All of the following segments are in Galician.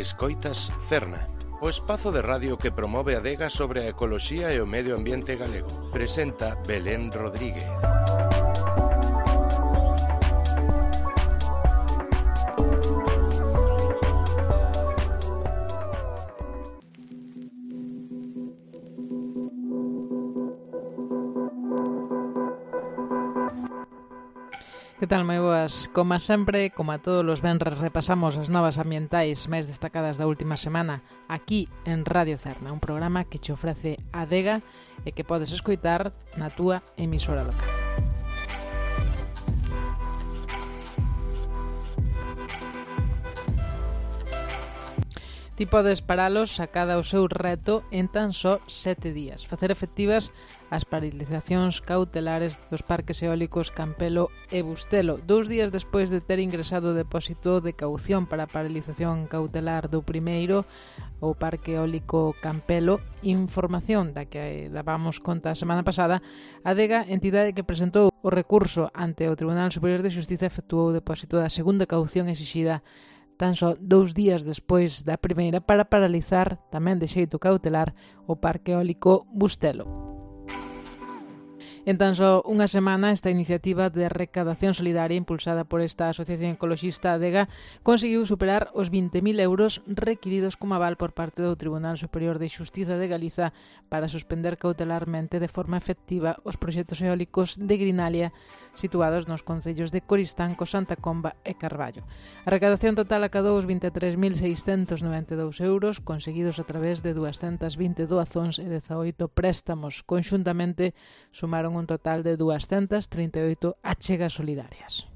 Escoitas Cerna, o espazo de radio que promove a adega sobre a ecoloxía e o medio ambiente galego. Presenta Belén Rodríguez. Que tal, moi boas? Como sempre, como a todos os venres, repasamos as novas ambientais máis destacadas da última semana aquí en Radio Cerna, un programa que che ofrece a adega e que podes escoitar na túa emisora local. Ti podes paralos a cada o seu reto en tan só 7 días. Facer efectivas as paralizacións cautelares dos parques eólicos Campelo e Bustelo. 2 días despois de ter ingresado o depósito de caución para a paralización cautelar do primeiro, o parque eólico Campelo, información da que dábamos conta a semana pasada, a adega, entidade que presentou o recurso ante o Tribunal Superior de Xustiza, efectuou o depósito da segunda caución exixida tan só 2 días despois da primeira para paralizar, tamén de xeito cautelar, o parque eólico Bustelo. En tan só unha semana, esta iniciativa de recadación solidaria impulsada por esta asociación ecoloxista ADEGA conseguiu superar os 20.000 euros requiridos como aval por parte do Tribunal Superior de Xustiza de Galiza para suspender cautelarmente de forma efectiva os proxectos eólicos de Grinalia situados nos concellos de Coristanco, Santa Comba e Carballo. A recadación total acadou os 23.692 euros conseguidos a través de 220 doazóns e 18 préstamos. Conxuntamente sumaron un total de 238 achegas solidarias.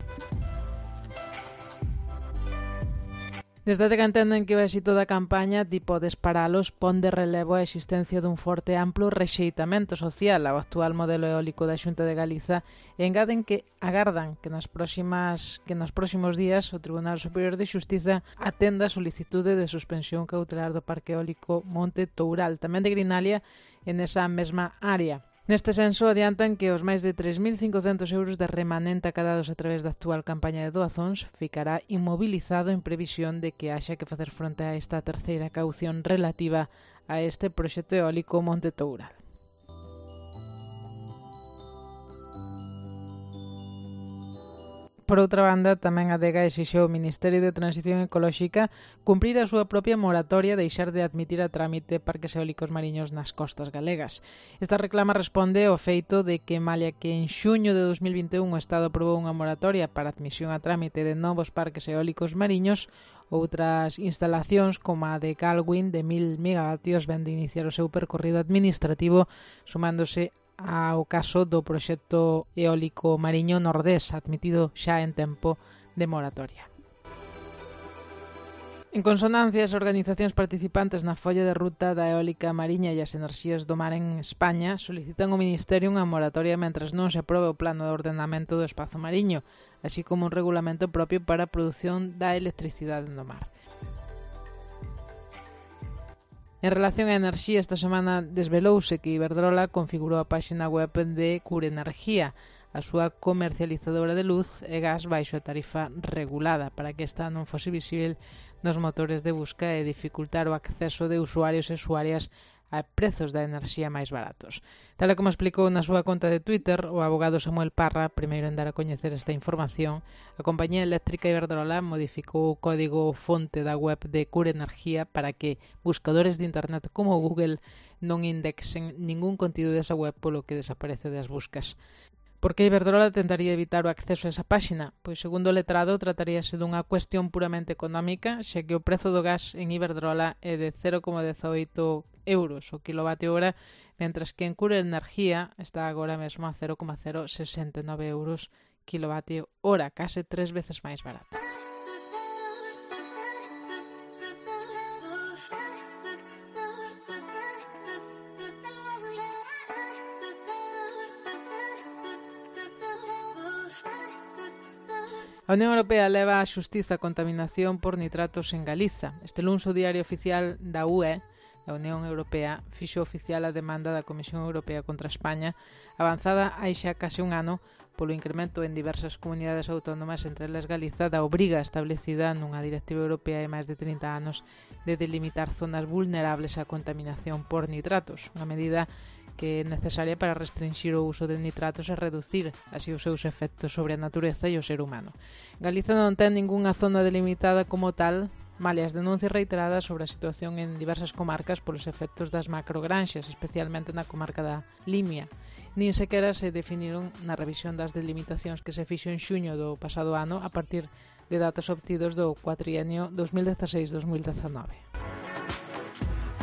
Desde que entenden que o éxito da campaña ti podes paralos pon de relevo a existencia dun forte amplo rexeitamento social ao actual modelo eólico da Xunta de Galiza e engaden que agardan que nos próximos días o Tribunal Superior de Xustiza atenda a solicitude de suspensión cautelar do parque eólico Monte Toural, tamén de Grinalia, en esa mesma área. Neste senso, adiantan que os máis de 3.500 euros de remanente acadados a través da actual campaña de doazóns ficará inmobilizado en previsión de que haxa que facer fronte a esta terceira caución relativa a este proxecto eólico Monte Toural. Por outra banda, tamén a ADEGA exixeu ao Ministerio de Transición Ecolóxica cumprir a súa propia moratoria e deixar de admitir a trámite parques eólicos mariños nas costas galegas. Esta reclama responde ao feito de que, malia que en xuño de 2021 o Estado aprobou unha moratoria para a admisión a trámite de novos parques eólicos mariños, outras instalacións como a de Galwin de 1.000 megavatios ven de iniciar o seu percorrido administrativo, sumándose ao caso do proxecto eólico mariño Nordés, admitido xa en tempo de moratoria. En consonancia, as organizacións participantes na folla de ruta da eólica mariña e as enerxías do mar en España solicitan ao Ministerio unha moratoria mentres non se aprobe o plano de ordenamento do espazo mariño, así como un regulamento propio para a produción da electricidade no mar. En relación á enerxía, esta semana desvelouse que Iberdrola configurou a páxina web de Cure Energía, a súa comercializadora de luz e gas baixo a tarifa regulada, para que esta non fose visível nos motores de busca e dificultar o acceso de usuarios e usuarias a prezos da enerxía máis baratos. Tal como explicou na súa conta de Twitter o abogado Samuel Parra, primeiro en dar a coñecer esta información, a compañía eléctrica Iberdrola modificou o código fonte da web de Cure Energía para que buscadores de internet como Google non indexen ningún contido desa web, polo que desaparece das buscas. Por que Iberdrola tentaría evitar o acceso a esa páxina? Pois, segundo o letrado, trataríase dunha cuestión puramente económica, xa que o prezo do gas en Iberdrola é de 0,18 euros o kilovatio hora, mentras que en Cure Energía está agora mesmo a 0,069 euros kilovatio hora, case 3 veces máis barato. A Unión Europea leva á xustiza a contaminación por nitratos en Galiza. Este luns o Diario Oficial da UE a Unión Europea fixo oficial a demanda da Comisión Europea contra España, avanzada hai xa case un ano polo incremento en diversas comunidades autónomas, entre elas Galiza, da obriga establecida nunha directiva europea de máis de 30 anos de delimitar zonas vulnerables á contaminación por nitratos, unha medida que é necesaria para restringir o uso de nitratos e reducir así os seus efectos sobre a natureza e o ser humano. Galiza non ten ningunha zona delimitada como tal, malia as denuncias reiteradas sobre a situación en diversas comarcas polos efectos das macrogranxas, especialmente na comarca da Limia. Nin sequera se definiron na revisión das delimitacións que se fixo en xuño do pasado ano a partir de datos obtidos do cuatrienio 2016-2019.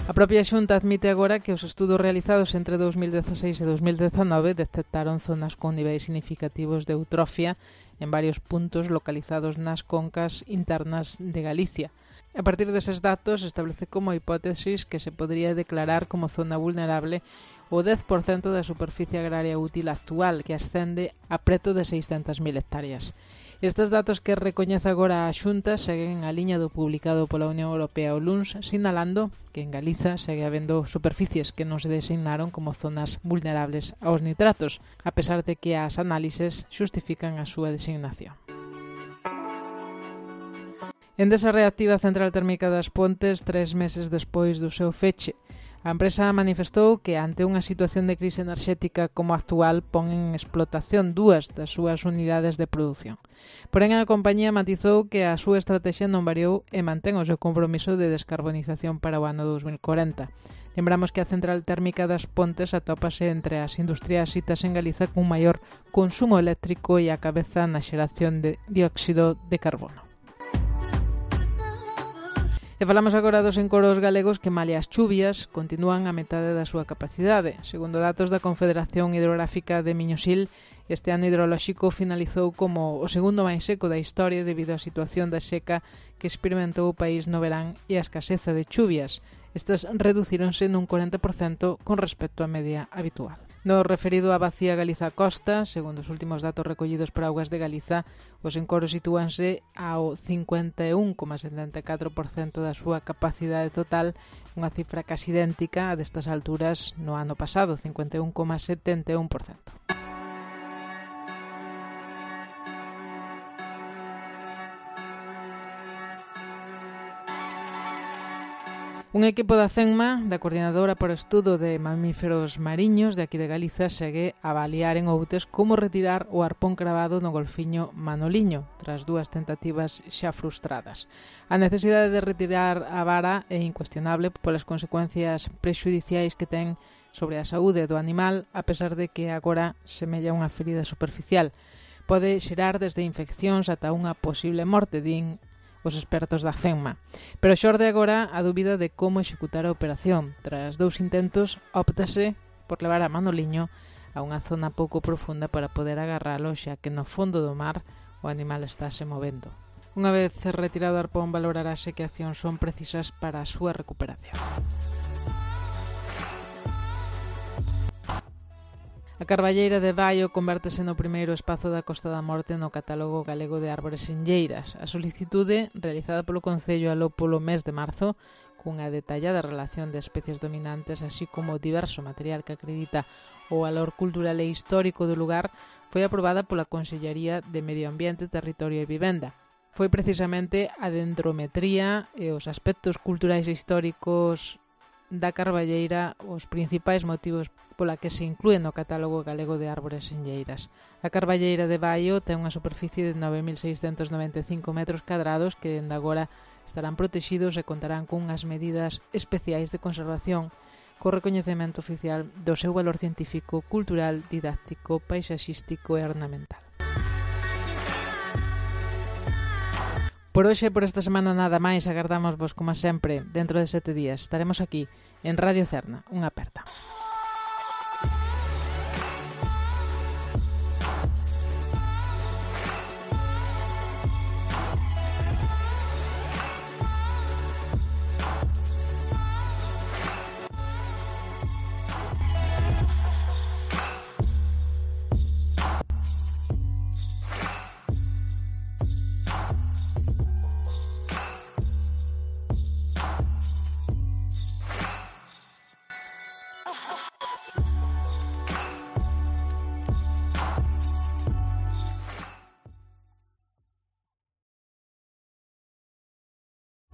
A propia Xunta admite agora que os estudos realizados entre 2016 e 2019 detectaron zonas con niveis significativos de eutrofia en varios puntos localizados nas concas internas de Galicia. A partir deses datos, establece como hipótesis que se podría declarar como zona vulnerable o 10% da superficie agraria útil actual, que ascende a preto de 600.000 hectáreas. Estes datos que recoñece agora a Xunta seguen a liña do publicado pola Unión Europea o luns, sinalando que en Galiza segue habendo superficies que non se designaron como zonas vulnerables aos nitratos, a pesar de que as análises xustifican a súa designación. Endesa reactiva a central térmica das Pontes 3 meses despois do seu feche. A empresa manifestou que ante unha situación de crise enerxética como a actual pon en explotación 2 das súas unidades de produción. Porén, a compañía matizou que a súa estrategia non variou e mantén o seu compromiso de descarbonización para o ano 2040. Lembramos que a central térmica das Pontes atópase entre as industrias citas en Galiza cun maior consumo eléctrico e a cabeza na xeración de dióxido de carbono. E falamos agora dos encoros galegos que, malia as chuvias, continúan a metade da súa capacidade. Segundo datos da Confederación Hidrográfica de Miñosil, este ano hidrolóxico finalizou como o segundo máis seco da historia debido á situación da seca que experimentou o país no verán e a escaseza de chuvias. Estas reducíronse nun 40% con respecto á media habitual. No referido á Bacía Galiza Costa, segundo os últimos datos recollidos por Augas de Galiza, os encoros sitúanse ao 51,74% da súa capacidade total, unha cifra casi idéntica a destas alturas no ano pasado, 51,71%. Un equipo da CENMA, da Coordinadora para o Estudo de Mamíferos Mariños de aquí de Galiza, segue a avaliar en Outes como retirar o arpón cravado no golfiño Manoliño, tras 2 tentativas xa frustradas. A necesidade de retirar a vara é incuestionable polas consecuencias prexudiciais que ten sobre a saúde do animal, a pesar de que agora semella unha ferida superficial. Pode xerar desde infeccións ata unha posible morte, din os expertos da CENMA. Pero xorde agora a dúbida de como executar a operación. Tras 2 intentos, óptase por levar a Manoliño a unha zona pouco profunda para poder agarralo, xa que no fondo do mar o animal estáse movendo. Unha vez retirado o arpón, valorarase que accións son precisas para a súa recuperación. A Carballeira de Baio convértese no primeiro espazo da Costa da Morte no catálogo galego de árbores enlleiras. A solicitude, realizada polo Concello aló polo mes de marzo, cunha detallada relación de especies dominantes, así como diverso material que acredita o valor cultural e histórico do lugar, foi aprobada pola Consellería de Medio Ambiente, Territorio e Vivenda. Foi precisamente a dendrometría e os aspectos culturais e históricos da Carballeira os principais motivos pola que se inclúe no catálogo galego de árbores enlleiras. A Carballeira de Baio ten unha superficie de 9.695 metros cadrados que dende agora estarán protexidos e contarán cunhas medidas especiais de conservación co recoñecemento oficial do seu valor científico, cultural, didáctico, paisaxístico e ornamental. Por hoxe, por esta semana nada máis, agardamos vos como sempre. Dentro de 7 días estaremos aquí en Radio Cerna. Unha aperta.